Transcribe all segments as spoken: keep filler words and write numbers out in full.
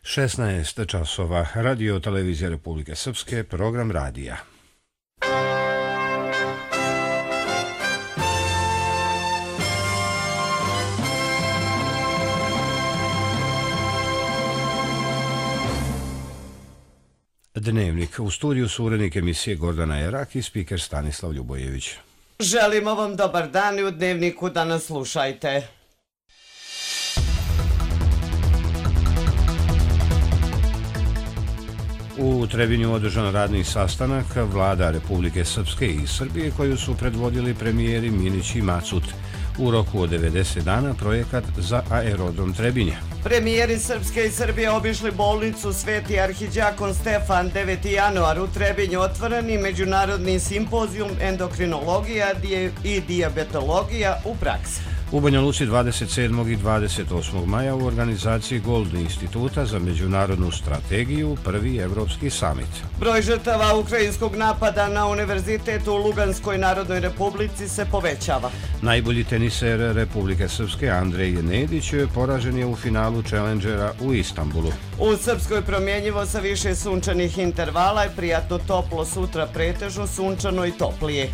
šesnaest časova, Radio Televizija Republike Srpske, program radija. Dnevnik. U studiju su urednik emisije Gordana Erak i spiker Stanislav Ljubojević. Želimo vam dobar dan i u Dnevniku da nas slušajte. U Trebinju održan radni sastanak vlada Republike Srpske i Srbije koju su predvodili premijeri Minić i Macut. U roku od devedeset dana projekat za aerodrom Trebinje. Premijeri Srpske i Srbije obišli bolnicu Sveti arhidjakon Stefan deveti januar u Trebinju, otvoreni međunarodni simpozijum endokrinologija i dijabetologija u praksi. U Banja Luci dvadeset sedmog i dvadeset osmog maja u organizaciji Gold instituta za međunarodnu strategiju prvi evropski samit. Broj žrtava ukrajinskog napada na univerzitet u Luganskoj Narodnoj Republici se povećava. Najbolji teniser Republike Srpske Andrej Nedić poražen je u finalu Challengera u Istanbulu. U Srpskoj promjenjivo sa više sunčanih intervala i prijatno toplo, sutra pretežno sunčano i toplije.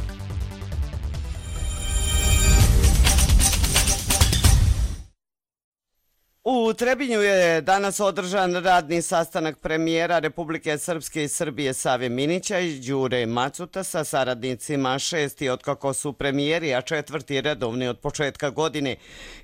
U Trebinju je danas održan radni sastanak premijera Republike Srpske i Srbije Save Minića i Đure Macuta sa saradnicima, šesti otkako su premijeri, a četvrti redovni od početka godine.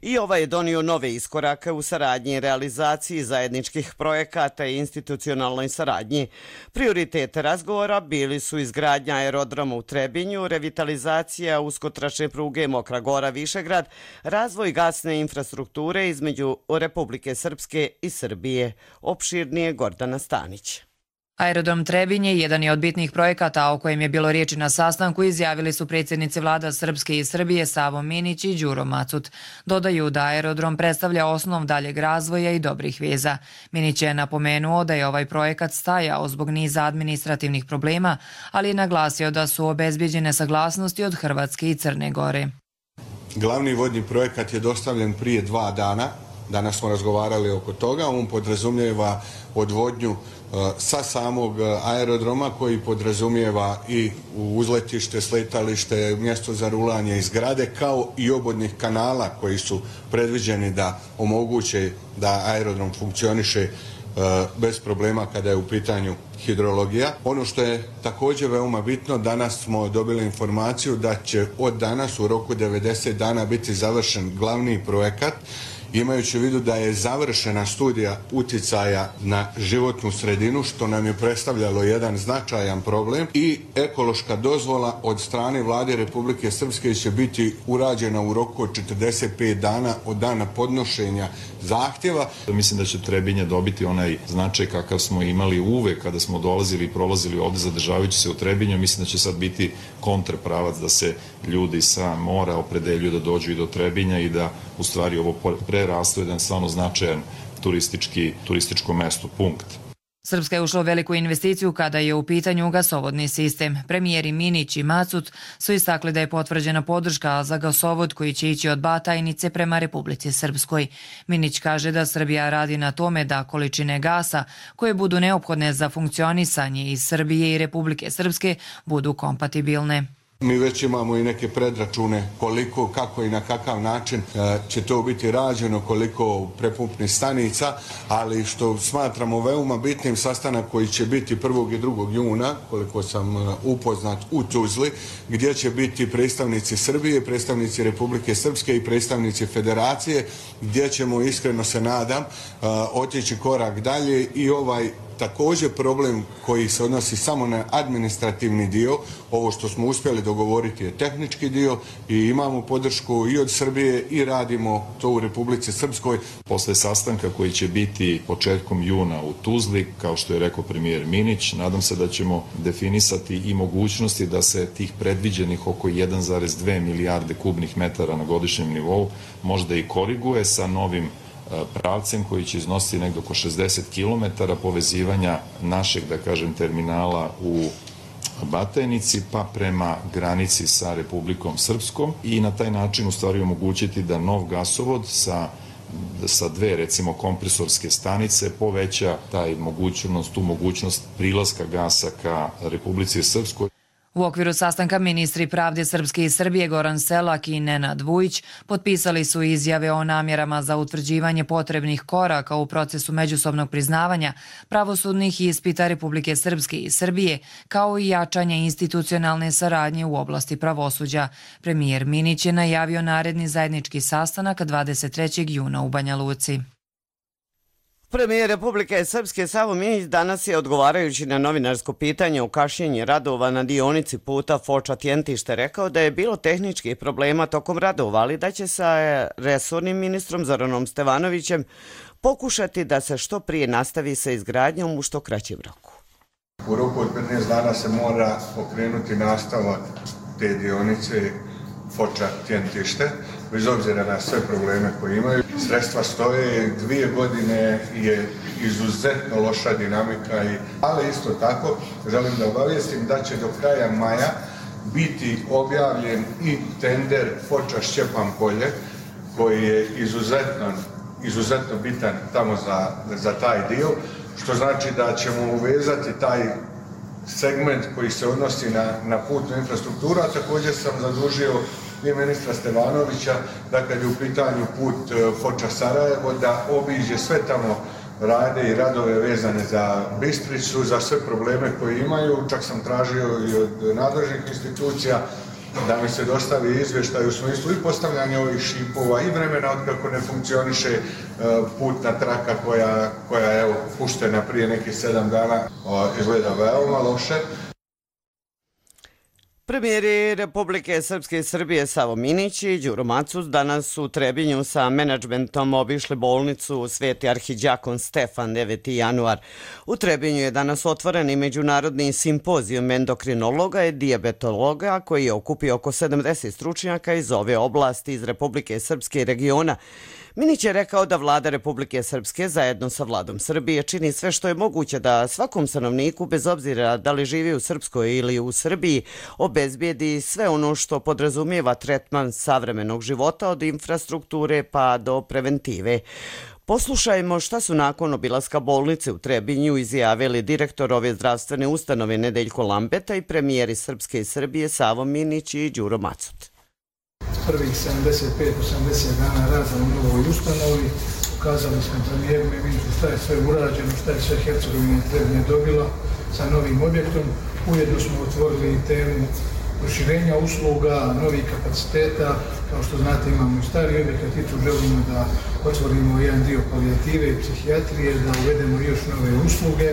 I ovaj je donio nove iskorake u saradnji i realizaciji zajedničkih projekata i institucionalnoj saradnji. Prioritete razgovora bili su izgradnja aerodroma u Trebinju, revitalizacija uskotračne pruge Mokra Gora Višegrad, razvoj gasne infrastrukture između Republike Srpske i Srbije. Opširnije Gordana Stanić. Aerodrom Trebinje jedan je od bitnih projekata o kojem je bilo riječi na sastanku, izjavili su predsjednici vlada Srpske i Srbije Savo Minić i Đuro Macut. Dodaju da aerodrom predstavlja osnov daljeg razvoja i dobrih veza. Minić je napomenuo da je ovaj projekat stajao zbog niza administrativnih problema, ali je naglasio da su obezbjeđene saglasnosti od Hrvatske i Crne Gore. Glavni vodni projekat je dostavljen prije dva dana. Danas smo razgovarali oko toga. On podrazumijeva odvodnju sa samog aerodroma koji podrazumijeva i uzletište, sletalište, mjesto za rulanje i zgrade, kao i obodnih kanala koji su predviđeni da omoguće da aerodrom funkcioniše bez problema kada je u pitanju hidrologija. Ono što je također veoma bitno, danas smo dobili informaciju da će od danas u roku devedeset dana biti završen glavni projekat, imajući u vidu da je završena studija utjecaja na životnu sredinu, što nam je predstavljalo jedan značajan problem, i ekološka dozvola od strane vlade Republike Srpske će biti urađena u roku od četrdeset pet dana od dana podnošenja zahtjeva. Mislim da će Trebinje dobiti onaj značaj kakav smo imali uvek kada smo dolazili i prolazili ovdje zadržavajući se u Trebinju. Mislim da će sad biti kontrapravac da se ljudi sa mora opredeljuju da dođu i do Trebinja i da u stvari ovo prerastu jedan stvarno značajan turistički, turističko mesto, punkt. Srpska je ušla u veliku investiciju kada je u pitanju gasovodni sistem. Premijeri Minić i Macut su istakli da je potvrđena podrška za gasovod koji će ići od Batajnice prema Republici Srpskoj. Minić kaže da Srbija radi na tome da količine gasa koje budu neophodne za funkcionisanje iz Srbije i Republike Srpske budu kompatibilne. Mi već imamo i neke predračune koliko, kako i na kakav način će to biti rađeno, koliko prepumpnih stanica, ali što smatramo veoma bitnim, sastanak koji će biti prvog i drugog juna, koliko sam upoznat, u Tuzli, gdje će biti predstavnici Srbije, predstavnici Republike Srpske i predstavnici Federacije, gdje ćemo, iskreno se nadam, otići korak dalje i ovaj također problem koji se odnosi samo na administrativni dio. Ovo što smo uspjeli dogovoriti je tehnički dio i imamo podršku i od Srbije i radimo to u Republici Srpskoj. Posle sastanka koji će biti početkom juna u Tuzli, kao što je rekao premijer Minić, nadam se da ćemo definisati i mogućnosti da se tih predviđenih oko jedan zarez dve milijarde kubnih metara na godišnjem nivou možda i koriguje sa novim pravcem koji će iznositi negdje oko šezdeset kilometara povezivanja našeg, da kažem, terminala u Batajnici pa prema granici sa Republikom Srpskom i na taj način u stvari omogućiti da nov gasovod sa sa dve recimo kompresorske stanice poveća taj mogućnost, tu mogućnost prilaska gasa ka Republici Srpskoj. U okviru sastanka ministri pravde Srpske i Srbije Goran Selak i Nenad Vujić potpisali su izjave o namjerama za utvrđivanje potrebnih koraka u procesu međusobnog priznavanja pravosudnih ispita Republike Srpske i Srbije, kao i jačanje institucionalne saradnje u oblasti pravosuđa. Premijer Minić je najavio naredni zajednički sastanak dvadeset trećeg juna u Banja Luci. Premijer Republike Srpske Savo Minić danas je, odgovarajući na novinarsko pitanje o kašnjenju radova na dionici puta Foča-Tjentište, rekao da je bilo tehničkih problema tokom radova, ali da će sa resornim ministrom Zoranom Stevanovićem pokušati da se što prije nastavi sa izgradnjom u što kraćem roku. U roku od petnaest dana se mora pokrenuti nastavak te dionice Foča-Tjentište, bez obzira na sve probleme koje imaju. Sredstva stoje, dvije godine je izuzetno loša dinamika, ali isto tako želim da obavijestim da će do kraja maja biti objavljen i tender Foča-Šćepan polje, koji je izuzetno, izuzetno bitan tamo za, za taj dio, što znači da ćemo uvezati taj segment koji se odnosi na, na putnu infrastrukturu, a također sam zadužio i ministra Stevanovića da kad je u pitanju put Foča-Sarajevo da obiđe sve tamo rade i radove vezane za Bistricu, za sve probleme koje imaju. Čak sam tražio i od nadležnih institucija da mi se dostavi izvještaj u smislu i postavljanja ovih šipova i vremena od kako ne funkcioniše putna traka koja, koja je evo, puštena prije nekih sedam dana, izgleda veoma loše. Premijeri Republike Srpske i Srbije Savo Minić i Đuro Macut danas u Trebinju sa menadžmentom obišli bolnicu Sveti arhidjakon Stefan, deveti januar. U Trebinju je danas otvoren i međunarodni simpozijum endokrinologa i dijabetologa koji je okupio oko sedamdeset stručnjaka iz ove oblasti iz Republike Srpske i regiona. Minić je rekao da vlada Republike Srpske zajedno sa vladom Srbije čini sve što je moguće da svakom stanovniku, bez obzira da li živi u Srpskoj ili u Srbiji, obezbijedi sve ono što podrazumijeva tretman savremenog života od infrastrukture pa do preventive. Poslušajmo šta su nakon obilaska bolnice u Trebinju izjavili direktor ove zdravstvene ustanove Nedeljko Lambeta i premijeri Srpske i Srbije Savo Minić i Đuro Macut. Prvih sedamdeset pet do osamdeset dana rada u novoj ustanovi ukazali smo premijeru i ministru šta je sve urađeno, šta je sve Hercegovina i Trebinje dobila sa novim objektom. Ujedno smo otvorili i temu proširenja usluga, novih kapaciteta. Kao što znate, imamo i stari objekat i tu želimo da otvorimo jedan dio palijative i psihijatrije, da uvedemo još nove usluge.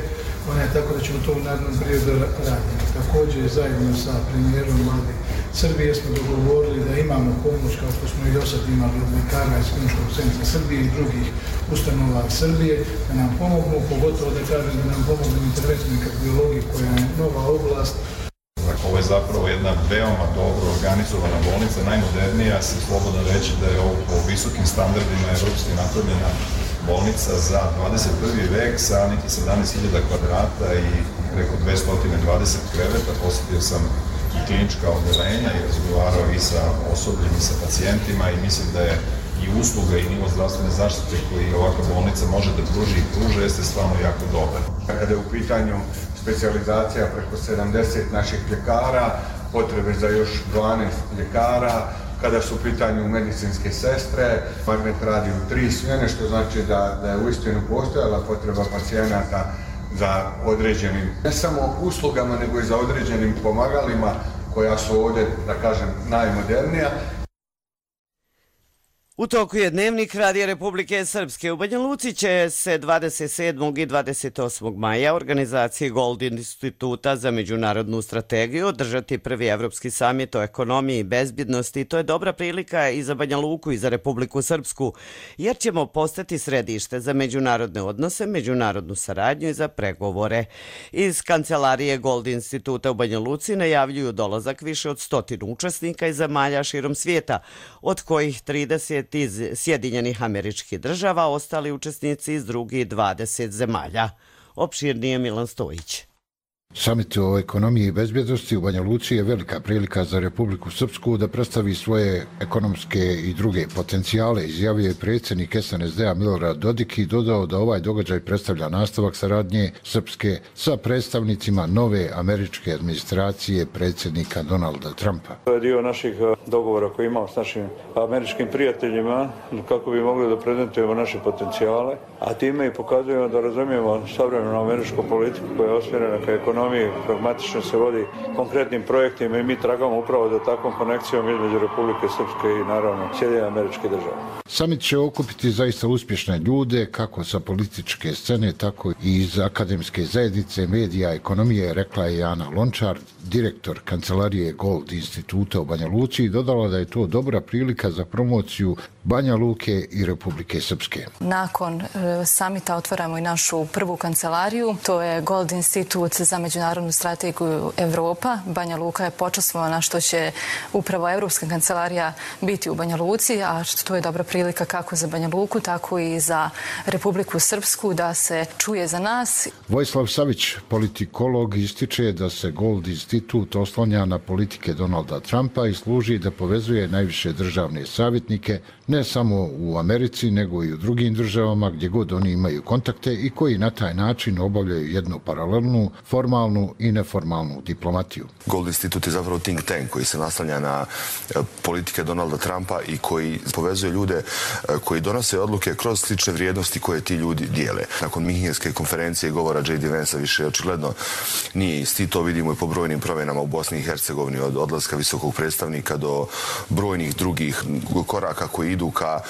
Ona je tako da ćemo to u narednom periodu raditi. Također, zajedno sa premijerom vlade Srbije smo dogovorili da imamo pomoć, kao što smo i do sad imali od lekara iz Kliničkog centra Srbije i drugih ustanova Srbije, da nam pomognu, pogotovo da kažem da nam pomognu interventnoj kardiologiji koja je nova oblast. Ovo je zapravo jedna veoma dobro organizovana bolnica, najmodernija, se slobodno reći da je ovo po visokim standardima evropski napravljena bolnica za dvadeset prvi vek sa nekih sedamnaest hiljada kvadrata i preko dvesta dvadeset kreveta. Posjetio sam i klinička odelenja i razgovarao i sa osobljem i sa pacijentima i mislim da je i usluga i nivo zdravstvene zaštite koji ovakva bolnica može da pruži i pruže jeste stvarno jako dobar. Kada je u pitanju specijalizacija preko sedamdeset naših ljekara, potrebe za još dvanaest ljekara, kada su u pitanju medicinske sestre, Magnet radi u tri smjene, što znači da, da je uistinu postojala potreba pacijenata za određenim, ne samo uslugama, nego i za određenim pomagalima koja su ovdje, da kažem, najmodernija. U toku je dnevnik Radija Republike Srpske. U Banja Luci će se dvadeset sedmog i dvadeset osmog maja organizacije Gold Instituta za međunarodnu strategiju održati prvi evropski samit o ekonomiji i bezbjednosti. To je dobra prilika i za Banja Luku i za Republiku Srpsku, jer ćemo postati središte za međunarodne odnose, međunarodnu saradnju i za pregovore. Iz kancelarije Gold Instituta u Banja Luci najavljuju dolazak više od stotinu učesnika iz zemalja širom svijeta, od kojih trideset iz Sjedinjenih Američkih Država, ostali učesnici iz drugih dvadeset zemalja. Opširnije Milan Stojić. Samit o ekonomiji i bezbjednosti u Banja Luci je velika prilika za Republiku Srpsku da predstavi svoje ekonomske i druge potencijale, izjavio je predsjednik S N S D-a Milorad Dodik i dodao da ovaj događaj predstavlja nastavak saradnje Srpske sa predstavnicima nove američke administracije predsjednika Donalda Trumpa. To je dio naših dogovora koji imamo s našim američkim prijateljima kako bi mogli da prezentujemo naše potencijale, a time i pokazujemo da razumijemo savremenu američku politiku koja je osmjerena ka ekonomiji, pragmatično se vodi konkretnim projektima i mi tragamo upravo za takvom konekcijom između Republike Srpske i naravno Sjedinjenih Američkih Država. Samit će okupiti zaista uspješne ljude, kako sa političke scene, tako i iz akademske zajednice, medija, ekonomije, rekla je Ana Lončar, direktor kancelarije Gold instituta u Banja Luci, i dodala da je to dobra prilika za promociju Banja Luke i Republike Srpske. Nakon e, samita otvaramo i našu prvu kancelariju, to je Gold institut za međunarodnu strategiju Evropa. Banja Luka je počastvovana što će upravo Evropska kancelarija biti u Banja Luci, a to je dobra prilika kako za Banja Luku, tako i za Republiku Srpsku da se čuje za nas. Vojislav Savić, politikolog, ističe da se Gold institut oslanja na politike Donalda Trumpa i služi da povezuje najviše državne savjetnike ne samo u Americi, nego i u drugim državama gdje god oni imaju kontakte i koji na taj način obavljaju jednu paralelnu, formalnu i neformalnu diplomatiju. Gold institut je zapravo think tank koji se naslanja na politike Donalda Trumpa i koji povezuje ljude koji donose odluke kroz slične vrijednosti koje ti ljudi dijele. Nakon Minhenske konferencije govora J D Vansa više očigledno nije isti. To vidimo i po brojnim promjenama u Bosni i Hercegovini, od odlaska visokog predstavnika do brojnih drugih koraka koji idu ka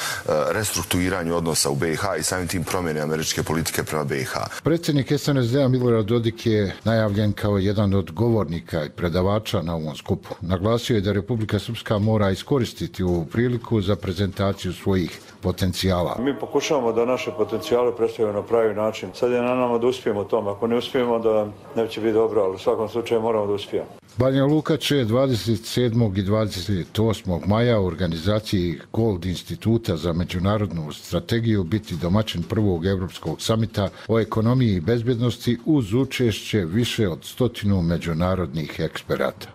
restrukturiranju odnosa u B i H i samim tim promjene američke politike prema B i H. Predsjednik S N S D-a Milorad Dodik je najavljen kao jedan od govornika i predavača na ovom skupu. Naglasio je da Republika Srpska mora iskoristiti ovu priliku za prezentaciju svojih potencijala. Mi pokušavamo da naše potencijale predstavimo na pravi način. Sad je na nama da uspijemo u tome. Ako ne uspijemo, da neće biti dobro, ali u svakom slučaju moramo da uspijemo. Banja Luka će dvadeset sedmog i dvadeset osmog maja u organizaciji Gold instituta za međunarodnu strategiju biti domaćin prvog evropskog samita o ekonomiji i bezbjednosti uz učešće više od stotinu međunarodnih eksperata.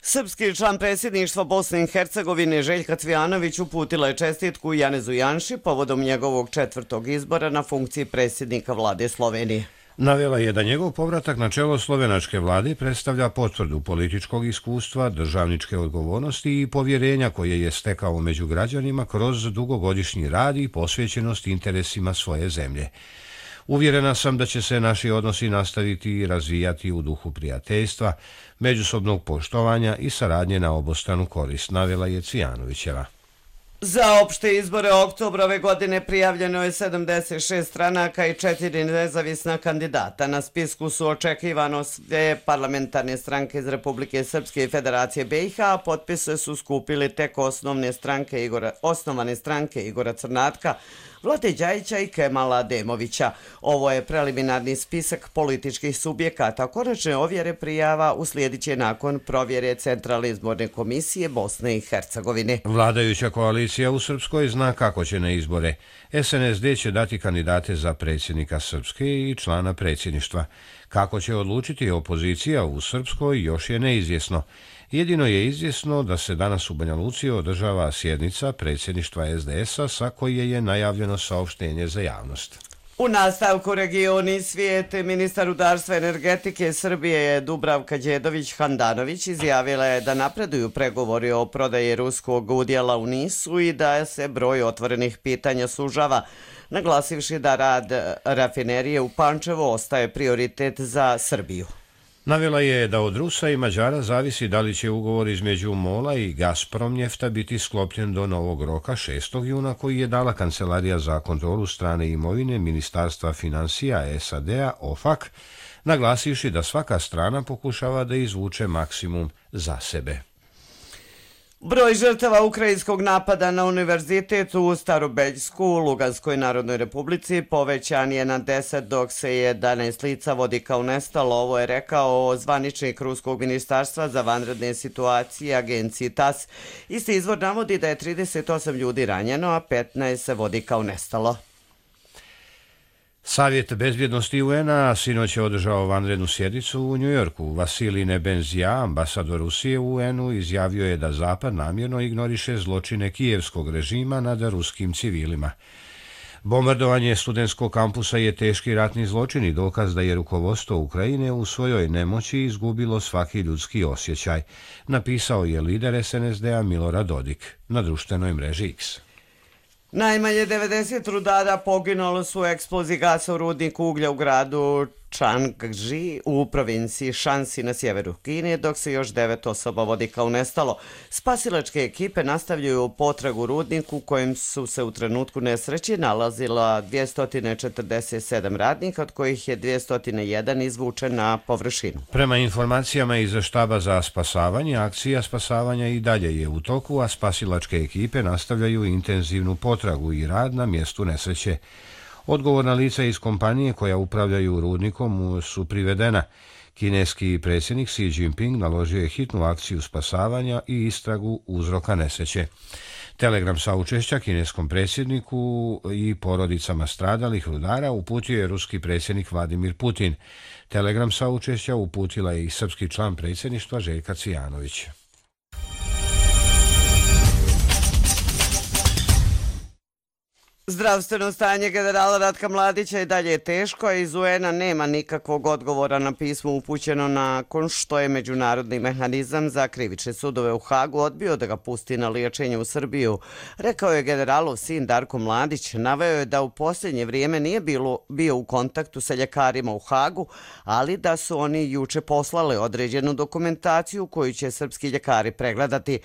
Srpski član predsjedništva Bosne i Hercegovine Željka Cvijanović uputila je čestitku Janezu Janši povodom njegovog četvrtog izbora na funkciji predsjednika vlade Slovenije. Navela je da njegov povratak na čelo slovenačke vlade predstavlja potvrdu političkog iskustva, državničke odgovornosti i povjerenja koje je stekao među građanima kroz dugogodišnji rad i posvećenost interesima svoje zemlje. Uvjerena sam da će se naši odnosi nastaviti i razvijati u duhu prijateljstva, međusobnog poštovanja i saradnje na obostranu korist, navela je Cvijanovićeva. Za opšte izbore oktobra ove godine prijavljeno je sedamdeset šest stranaka i četiri nezavisna kandidata. Na spisku su očekivano sve parlamentarne stranke iz Republike Srpske i Federacije B i H, a potpise su skupili tek osnovne stranke Igora, osnovane stranke Igora Crnatka, Vlade Đajića i Kemala Demovića. Ovo je preliminarni spisak političkih subjekata. Konačne ovjere prijava uslijedit će nakon provjere Centralne izborne komisije Bosne i Hercegovine. Vladajuća koalicija u Srpskoj zna kako će na izbore. S N S D će dati kandidate za predsjednika Srpske i člana predsjedništva. Kako će odlučiti opozicija u Srpskoj još je neizvjesno. Jedino je izvjesno da se danas u Banja Luci održava sjednica predsjedništva S D S-a sa koje je najavljeno saopštenje za javnost. U nastavku regioni svijet, ministar rudarstva i energetike Srbije Dubravka Đedović-Handanović izjavila je da napreduju pregovori o prodaji ruskog udjela u Nisu i da se broj otvorenih pitanja sužava, naglasivši da rad rafinerije u Pančevu ostaje prioritet za Srbiju. Navela je da od Rusa i Mađara zavisi da li će ugovor između MOL-a i Gazpromnjefta biti sklopljen do novog roka šestog juna koji je dala Kancelarija za kontrolu strane imovine Ministarstva financija S A D-a O F A C, naglasivši da svaka strana pokušava da izvuče maksimum za sebe. Broj žrtava ukrajinskog napada na univerzitet u Starobeljsku u Luganskoj Narodnoj Republici povećan je na deset, dok se jedanaest lica vodi kao nestalo. Ovo je rekao zvaničnik Ruskog ministarstva za vanredne situacije agenciji T A S. Isti izvor navodi da je trideset osam ljudi ranjeno, a petnaest se vodi kao nestalo. Savjet bezbjednosti U N-a sinoć je održao vanrednu sjednicu u Njujorku. Vasilij Nebenzija, ambasador Rusije u U N-u, izjavio je da Zapad namjerno ignoriše zločine kijevskog režima nad ruskim civilima. Bombardovanje studentskog kampusa je teški ratni zločin i dokaz da je rukovodstvo Ukrajine u svojoj nemoći izgubilo svaki ljudski osjećaj, napisao je lider S N S D-a Milorad Dodik na društvenoj mreži X. Najmanje devedeset rudara poginulo su u eksploziji gasa u rudniku uglja u gradu Changji u provinciji Shanxi na sjeveru Kine, dok se još devet osoba vodi kao nestalo. Spasilačke ekipe nastavljaju potragu u rudniku u kojem su se u trenutku nesreći nalazila dvjesto četrdeset sedam radnika, od kojih je dvjesto jedan izvučen na površinu. Prema informacijama iz štaba za spasavanje, akcija spasavanja i dalje je u toku, a spasilačke ekipe nastavljaju intenzivnu potragu i rad na mjestu nesreće. Odgovorna lica iz kompanije koja upravljaju rudnikom su privedena. Kineski predsjednik Xi Jinping naložio je hitnu akciju spasavanja i istragu uzroka nesreće. Telegram saučešća kineskom predsjedniku i porodicama stradalih rudara uputio je ruski predsjednik Vladimir Putin. Telegram saučešća uputila je i srpski član predsjedništva Željka Cvijanović. Zdravstveno stanje generala Ratka Mladića i dalje je teško, a iz U N-a nema nikakvog odgovora na pismo upućeno nakon što je Međunarodni mehanizam za krivične sudove u Hagu odbio da ga pusti na liječenje u Srbiju. Rekao je generalov sin Darko Mladić, naveo je da u posljednje vrijeme nije bilo, bio u kontaktu sa ljekarima u Hagu, ali da su oni juče poslali određenu dokumentaciju koju će srpski ljekari pregledati.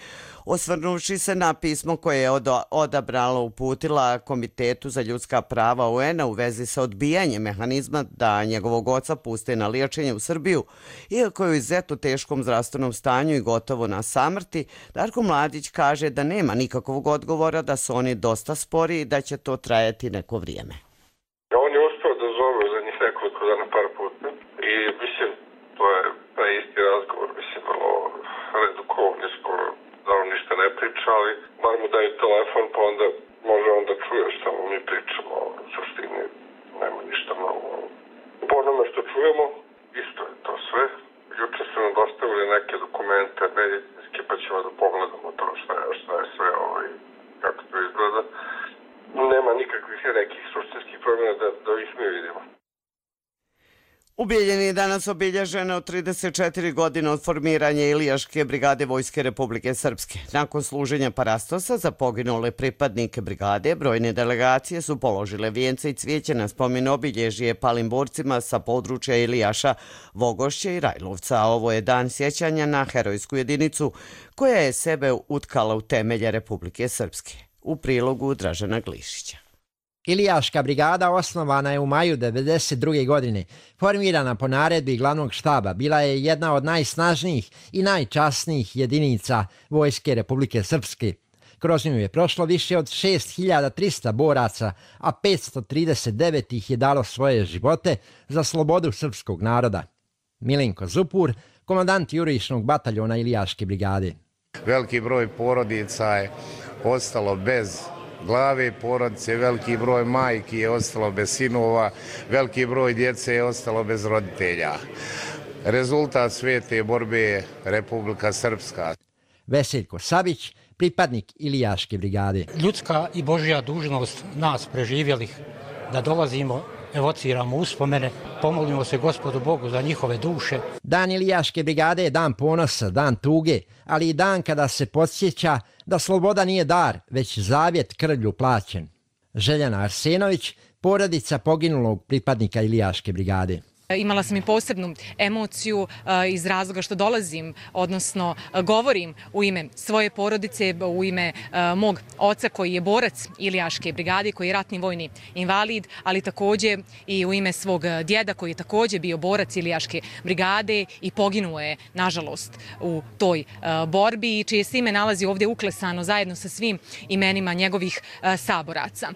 Osvrnuvši se na pismo koje je odabrala uputila Komitetu za ljudska prava U N-a u vezi sa odbijanjem mehanizma da njegovog oca puste na liječenje u Srbiju, iako je u izuzetno teškom zdravstvenom stanju i gotovo na samrti, Darko Mladić kaže da nema nikakvog odgovora, da su oni dosta spori i da će to trajati neko vrijeme. On je uspio da zove za njih nekoliko dana par puta i mislim, to je taj isti razgovor, mislim, vrlo redukovan, skoro da on ništa ne priča, ali bar mu daju telefon, pa onda može onda čuje šta mu mi pričamo, u suštini nema ništa mnogo. Po onome što čujemo, isto je to sve. Juče su nam dostavili neke dokumente medicinske, pa ćemo da pogledamo to šta je, šta je sve ovo i kako to izgleda. Nema nikakvih nekih suštinskih promjena da, da ih mi vidimo. Ubijeljen je danas obilježeno trideset četiri godine od formiranja Ilijaške brigade Vojske Republike Srpske. Nakon služenja parastosa za poginule pripadnike brigade, brojne delegacije su položile vijence i cvijeće na spomen obilježje palim borcima sa područja Ilijaša, Vogošće i Rajlovca. Ovo je dan sjećanja na herojsku jedinicu koja je sebe utkala u temelje Republike Srpske. U prilogu Dražena Glišića. Ilijaška brigada osnovana je u maju devedeset druge. godine. Formirana po naredbi glavnog štaba, bila je jedna od najsnažnijih i najčasnijih jedinica Vojske Republike Srpske. Kroz nju je prošlo više od šest hiljada trista boraca, a petsto trideset devet ih je dalo svoje živote za slobodu srpskog naroda. Milenko Zupur, komandant jurišnog bataljona Ilijaške brigade. Veliki broj porodica je ostalo bez glave porodice, veliki broj majki je ostalo bez sinova, veliki broj djece je ostalo bez roditelja. Rezultat sve te borbe je Republika Srpska. Veseljko Savić, pripadnik Ilijaške brigade. Ljudska i Božja dužnost nas preživjelih da dolazimo, evociramo uspomene, pomolimo se Gospodu Bogu za njihove duše. Dan Ilijaške brigade je dan ponosa, dan tuge, ali i dan kada se podsjeća da sloboda nije dar, već zavjet krvlju plaćen. Željana Arsenović, porodica poginulog pripadnika Ilijaške brigade. Imala sam i posebnu emociju iz razloga što dolazim, odnosno govorim u ime svoje porodice, u ime mog oca koji je borac Ilijaške brigade, koji je ratni vojni invalid, ali također i u ime svog djeda koji je također bio borac Ilijaške brigade i poginuo je, nažalost, u toj borbi i čije se ime nalazi ovdje uklesano zajedno sa svim imenima njegovih saboraca.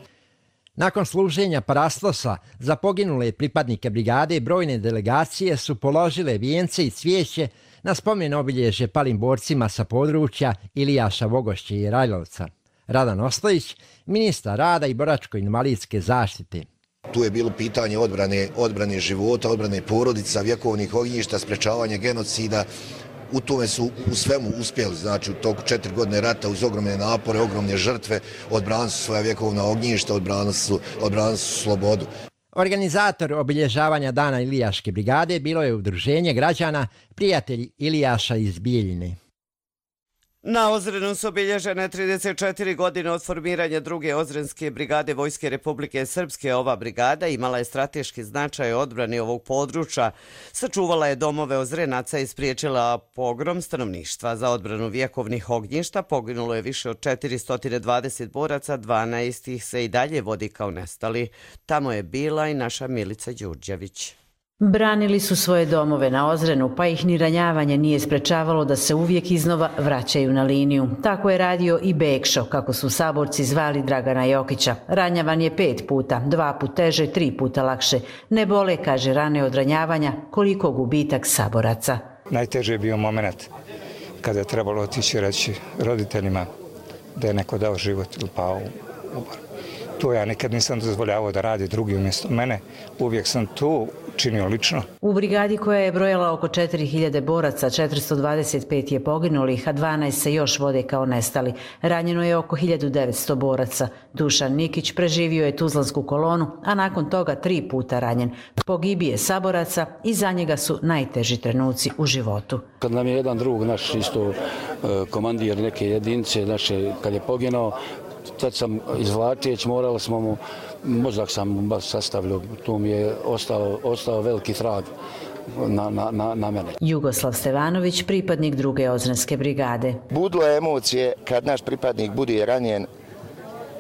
Nakon služenja parastosa za poginule pripadnike brigade, brojne delegacije su položile vijence i cvijeće na spomen obilježje palim borcima sa područja Ilijaša, Vogošće i Rajlovca. Radan Ostojić, ministar rada i boračko-invalidske zaštite. tu je bilo pitanje odbrane, odbrane života, odbrane porodica, vjekovnih ognjišta, sprečavanje genocida. U tome su u svemu uspjeli, znači u toku četiri godine rata uz ogromne napore, ogromne žrtve, odbranili su svoja vjekovna ognjišta, odbranili su, odbranili su slobodu. Organizator obilježavanja Dana Ilijaške brigade bilo je udruženje građana Prijatelji Ilijaša iz Bijeljine. Na Ozrenu su obilježene trideset četiri godine od formiranja druge Ozrenske brigade Vojske Republike Srpske. Ova brigada imala je strateški značaj odbrani ovog područja, sačuvala je domove Ozrenaca i spriječila pogrom stanovništva. Za odbranu vjekovnih ognjišta poginulo je više od četiristo dvadeset boraca, dvanaest ih se i dalje vodi kao nestali. Tamo je bila i naša Milica Đurđević. Branili su svoje domove na Ozrenu, pa ih ni ranjavanje nije sprečavalo da se uvijek iznova vraćaju na liniju. Tako je radio i Bekšo, kako su saborci zvali Dragana Jokića. Ranjavan je pet puta, dva put teže, tri puta lakše. Ne bole, kaže, rane od ranjavanja, koliko gubitak saboraca. Najteže je bio moment kada je trebalo otići reći roditeljima da je neko dao život ili pao u bor. To ja nikad nisam dozvoljavao da radi drugi umjesto mene. Uvijek sam to činio lično. U brigadi koja je brojala oko četiri hiljade boraca, četiristo dvadeset pet je poginulih, a dvanaest se još vode kao nestali. Ranjeno je oko hiljadu devetsto boraca. Dušan Nikić preživio je Tuzlansku kolonu, a nakon toga tri puta ranjen. Pogibije saboraca i za njega su najteži trenuci u životu. Kad nam je jedan drug, naš isto komandir neke jedinice, naše, kad je poginao, tad sam izvlačeć, morali smo mu, mozak sam mu baš sastavljao, tu mi je ostao, ostao veliki trag na, na, na, na mene. Jugoslav Stevanović, pripadnik druge Ozrenske brigade. Budlo je emocije kad naš pripadnik bude ranjen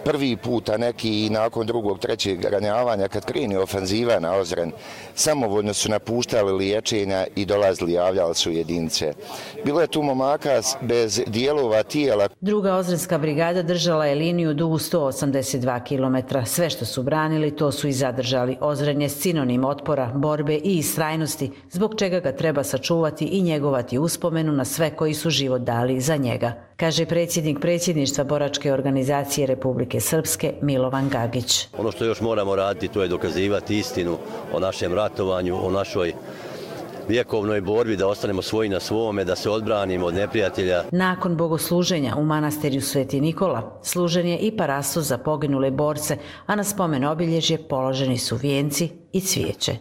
prvi puta neki i nakon drugog, trećeg ranjavanja kad krene ofenziva na Ozren, samovoljno su napuštali liječenja i dolazili, javljali su jedinice. Bilo je tu momaka bez dijelova tijela. Druga Ozrenska brigada držala je liniju dugu sto osamdeset dva kilometra. Sve što su branili, to su i zadržali. Ozren je sinonim otpora, borbe i istrajnosti, zbog čega ga treba sačuvati i njegovati uspomenu na sve koji su život dali za njega, kaže predsjednik predsjedništva Boračke organizacije Republike Srpske Milovan Gagić. Ono što još moramo raditi, to je dokazivati istinu o našem ratovanju, o našoj vjekovnoj borbi, da ostanemo svoji na svome, da se odbranimo od neprijatelja. Nakon bogosluženja u manastirju Sveti Nikola služen je i parasus za poginule borce, a na spomen obilježje položeni su vijenci i cvijeće.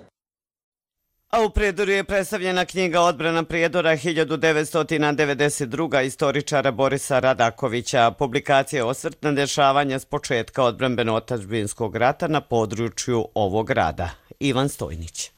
A u Prijedoru je predstavljena knjiga Odbrana Prijedora hiljadu devetsto devedeset druge. istoričara Borisa Radakovića. Publikacija je osvrt na dešavanja s početka odbrambeno-otadžbinskog rata na području ovog grada. Ivan Stojnić.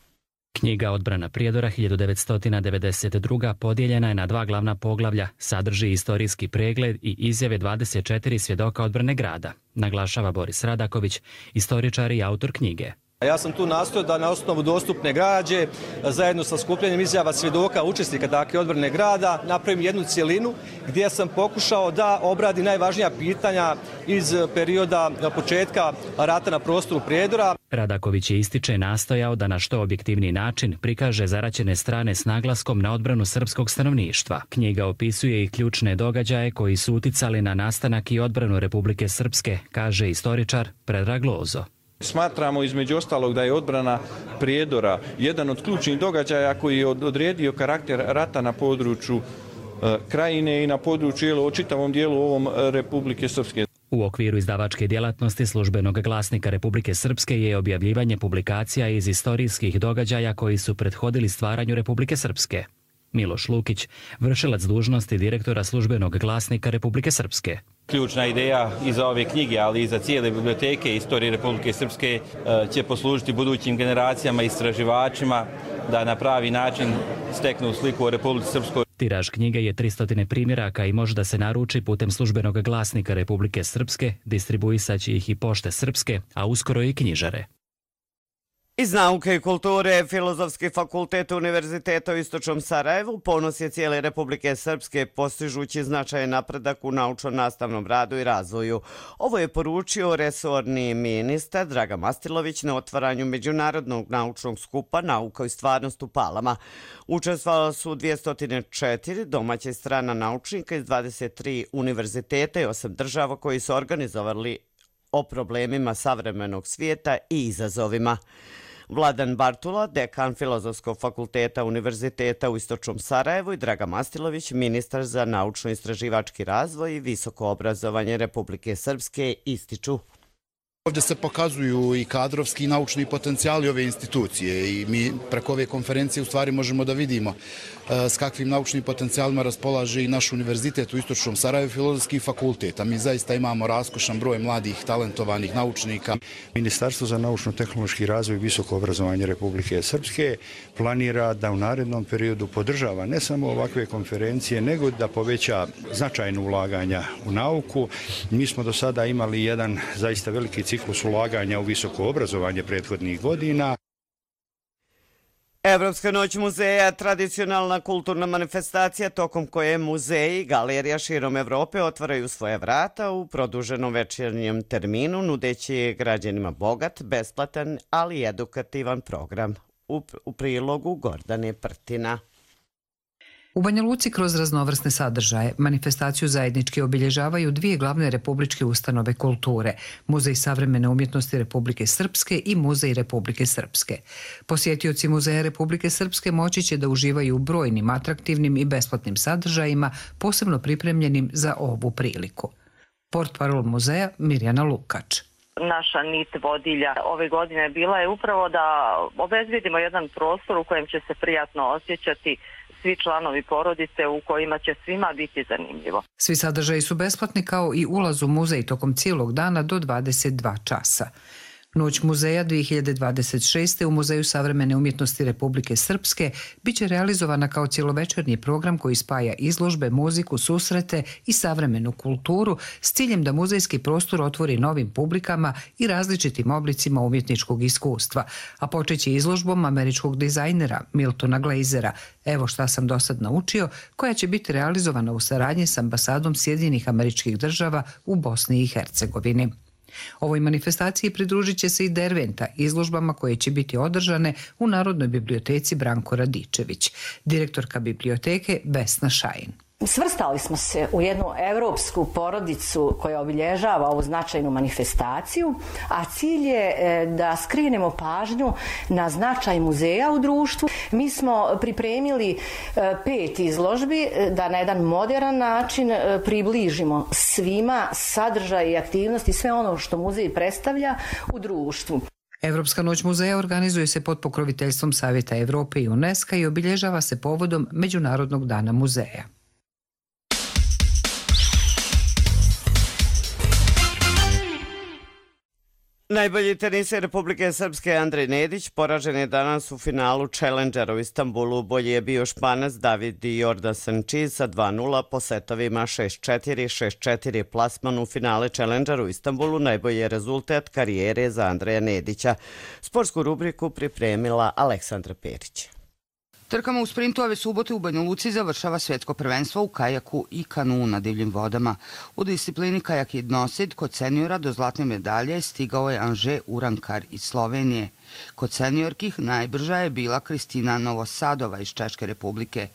Knjiga Odbrana Prijedora hiljadu devetsto devedeset druge. podijeljena je na dva glavna poglavlja, sadrži istorijski pregled i izjave dvadeset četiri svjedoka odbrane grada, naglašava Boris Radaković, istoričar i autor knjige. Ja sam tu nastojao da na osnovu dostupne građe, zajedno sa skupljanjem izjava svjedoka, učesnika dakle odbrane grada, napravim jednu cjelinu gdje sam pokušao da obradi najvažnija pitanja iz perioda početka rata na prostoru Prijedora. Radaković je ističe nastojao da na što objektivniji način prikaže zaraćene strane s naglaskom na odbranu srpskog stanovništva. Knjiga opisuje i ključne događaje koji su uticali na nastanak i odbranu Republike Srpske, kaže istoričar Predrag Lozo. Smatramo između ostalog da je odbrana Prijedora jedan od ključnih događaja koji je odredio karakter rata na području e, Krajine i na području u čitavom dijelu ovom Republike Srpske. U okviru izdavačke djelatnosti Službenog glasnika Republike Srpske je objavljivanje publikacija iz istorijskih događaja koji su prethodili stvaranju Republike Srpske. Miloš Lukić, vršilac dužnosti direktora Službenog glasnika Republike Srpske. Ključna ideja i za ove knjige, ali i za cijele biblioteke istorije Republike Srpske će poslužiti budućim generacijama i istraživačima da na pravi način steknu sliku o Republici Srpskoj. Tiraž knjige je tristo primjeraka i može da se naruči putem Službenog glasnika Republike Srpske, distribuisaće ih i Pošte Srpske, a uskoro i knjižare. Iz nauke i kulture, Filozofski fakultet Univerziteta u Istočnom Sarajevu ponos je cijele Republike Srpske postižući značajan napredak u naučno-nastavnom radu i razvoju. Ovo je poručio resorni ministar Dragan Mastilović na otvaranju Međunarodnog naučnog skupa Nauka i stvarnost u Palama. Učestvovali su dvjesto četiri domaće strana naučnika iz dvadeset tri univerziteta i osam država koji su organizovali o problemima savremenog svijeta i izazovima. Vladan Bartula, dekan Filozofskog fakulteta Univerziteta u Istočnom Sarajevu i Draga Mastilović, ministar za naučno-istraživački razvoj i visoko obrazovanje Republike Srpske, ističu. Ovdje se pokazuju i kadrovski i naučni potencijali ove institucije i mi preko ove konferencije u stvari možemo da vidimo s kakvim naučnim potencijalima raspolaže i naš univerzitet u Istočnom Sarajevu, Filozofski fakultet. A mi zaista imamo raskošan broj mladih, talentovanih naučnika. Ministarstvo za naučno-tehnološki razvoj i visoko obrazovanje Republike Srpske planira da u narednom periodu podržava ne samo ovakve konferencije, nego da poveća značajno ulaganja u nauku. Mi smo do sada imali jedan zaista veliki ciklus ulaganja u visoko obrazovanje prethodnih godina. Evropska noć muzeja, tradicionalna kulturna manifestacija tokom koje muzeji i galerija širom Evrope otvaraju svoje vrata u produženom večernjem terminu, nudeći građanima bogat, besplatan, ali i edukativan program. U, u prilogu Gordane Prtina. U Banja Luci kroz raznovrsne sadržaje manifestaciju zajednički obilježavaju dvije glavne republičke ustanove kulture, Muzej savremene umjetnosti Republike Srpske i Muzej Republike Srpske. Posjetioci Muzeja Republike Srpske moći će da uživaju u brojnim atraktivnim i besplatnim sadržajima, posebno pripremljenim za ovu priliku. Portparol muzeja Mirjana Lukač. Naša nit vodilja ove godine bila je upravo da obezbedimo jedan prostor u kojem će se prijatno osjećati svi članovi porodice, u kojima će svima biti zanimljivo. Svi sadržaji su besplatni kao i ulaz u muzej tokom cijelog dana do dvadeset dva časa. Noć muzeja dvije hiljade dvadeset šeste. u Muzeju savremene umjetnosti Republike Srpske biće realizovana kao cjelovečernji program koji spaja izložbe, muziku, susrete i savremenu kulturu s ciljem da muzejski prostor otvori novim publikama i različitim oblicima umjetničkog iskustva, a počeće izložbom američkog dizajnera Miltona Glazera Evo šta sam do sad naučio, koja će biti realizovana u saradnji s ambasadom Sjedinjenih Američkih Država u Bosni i Hercegovini. Ovoj manifestaciji pridružit će se i Derventa, izložbama koje će biti održane u Narodnoj biblioteci Branko Radičević, direktorka biblioteke Vesna Šajin. Svrstali smo se u jednu evropsku porodicu koja obilježava ovu značajnu manifestaciju, a cilj je da skrenemo pažnju na značaj muzeja u društvu. Mi smo pripremili pet izložbi da na jedan moderan način približimo svima sadržaj i aktivnosti, sve ono što muzej predstavlja u društvu. Evropska noć muzeja organizuje se pod pokroviteljstvom Savjeta Evrope i UNESCO i obilježava se povodom Međunarodnog dana muzeja. Najbolji teniser Republike Srpske Andrej Nedić poražen je danas u finalu Challengera u Istanbulu. Bolji je bio Španac David Jordan Sanchez sa dva nula po setovima šest četiri, šest četiri. Plasman u finale Challengera u Istanbulu najbolji je rezultat karijere za Andreja Nedića. Sportsku rubriku pripremila Aleksandra Perić. Trkama u sprintu ove subote u Banja Luci završava svjetsko prvenstvo u kajaku i kanuu na divljim vodama. U disciplini kajak jednosid kod seniora do zlatne medalje stigao je Anže Urankar iz Slovenije. Kod seniorkih najbrža je bila Kristina Novosadova iz Češke republike.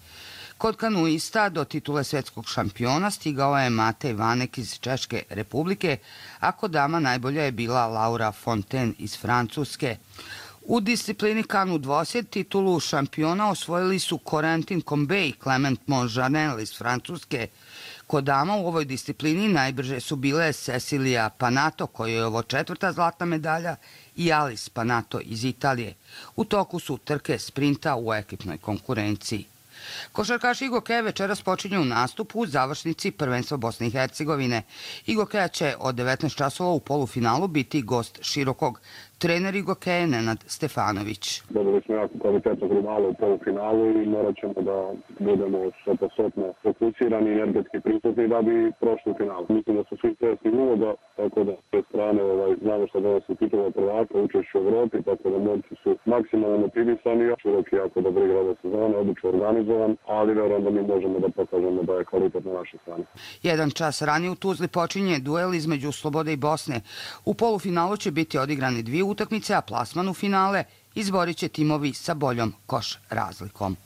Kod kanuista do titule svjetskog šampiona stigao je Matej Vanek iz Češke republike, a kod dama najbolja je bila Laura Fontaine iz Francuske. U disciplini kanu dvosjed titulu šampiona osvojili su Corentin Combe i Clement Monjanel iz Francuske. Kod dama u ovoj disciplini najbrže su bile Cecilia Panato, koja je ovo četvrta zlatna medalja, i Alice Panato iz Italije. U toku su trke sprinta u ekipnoj konkurenciji. Košarkaš Igokeja večeras počinje u nastupu u završnici prvenstva Bosne i Hercegovine. Igokeja će od devetnaest časova u polufinalu biti gost Širokog. Trener Igokeje Nenad Stefanović. Dobili smo jako kvalitetnog rivala u polufinalu i morat ćemo da budemo stopostotno fokusirani i energetski prisutni da bi prošli u finalu. Mislim da su svi svjesni uloga, tako da s te strane ovaj, znamo što donosi titula prvaka, učešću u Evropi, tako da momci su maksimalno motivisani. Široki jako dobro igra ove sezone, odlično organizovan, ali verujem da mi možemo da pokažemo da je kvalitet na našoj strani. Jedan čas ranije u Tuzli počinje duel između Slobode i Bosne. U polufinalu će biti odigrani dvije utakmice, a plasman u finale izborit će timovi sa boljom koš razlikom.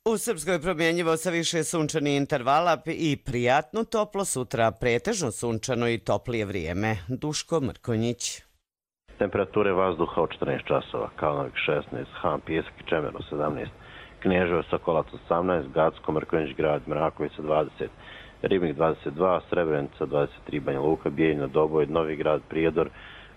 U Srpskoj promjenjivo sa više sunčanih intervala i prijatno toplo, sutra pretežno sunčano i toplije vrijeme. Duško Mrkonjić. Temperature vazduha od četrnaest časova, Kalnavik šesnaest, Han, Pijesak i Čemeru sedamnaest, Kneževo, Sokolac osamnaest, Gacko, Mrkonjić grad, Mrakovica dvadeset, Ribnik dvadeset dva, Srebrenica dvadeset tri, Banja Luka, Bijeljina, Doboj, Novi grad, Prijedor,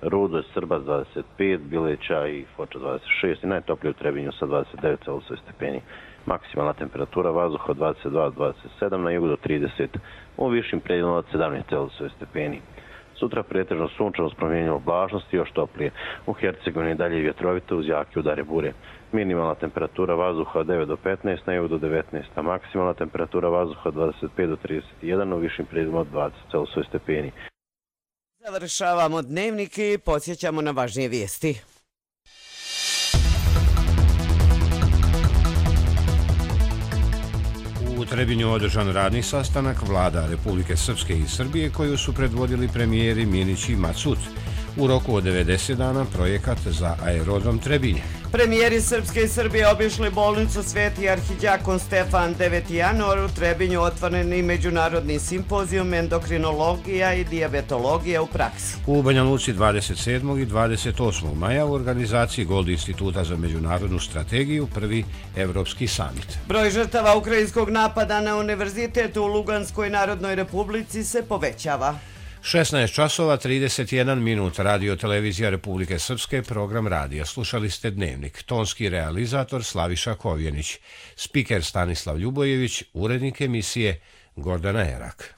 Rudo, Srbac dvadeset pet, Bileća i Foča dvadeset šest i najtoplije u Trebinju sa dvadeset devet Celzijusovih stepeni. Maksimalna temperatura vazduha od dvadeset dva do dvadeset sedam, na jugu do trideset, u višim predjelima od sedamnaest Celzijusovih stepeni. Sutra pretežno sunčano s promjenjivom oblačnosti, još toplije. U Hercegovini dalje vjetrovito uz jake udare bure. Minimalna temperatura vazduha od devet do petnaest, na jugu do devetnaest, a maksimalna temperatura vazduha od dvadeset pet do trideset jedan, u višim predjelima od dvadeset Celzijusovih stepeni. Završavamo dnevnik i podsjećamo na važnije vijesti. U Trebinju održan radni sastanak vlada Republike Srpske i Srbije koju su predvodili premijeri Minić i Macut. U roku od devedeset dana projekat za aerodrom Trebinje. Premijeri Srpske i Srbije obišli bolnicu Sveti arhiđakon Stefan deveti januar. U Trebinju otvoreni međunarodni simpozijum endokrinologija i dijabetologija u praksi. U Banja Luci dvadeset sedmog i dvadeset osmog maja u organizaciji Gold instituta za međunarodnu strategiju prvi Evropski samit. Broj žrtava ukrajinskog napada na univerzitet u Luganskoj Narodnoj Republici se povećava. šesnaest časova trideset jedan minut, Radio televizija Republike Srpske, program radija. Slušali ste dnevnik. Tonski realizator Slaviša Kovjenić, spiker Stanislav Ljubojević, urednik emisije Gordana Erak.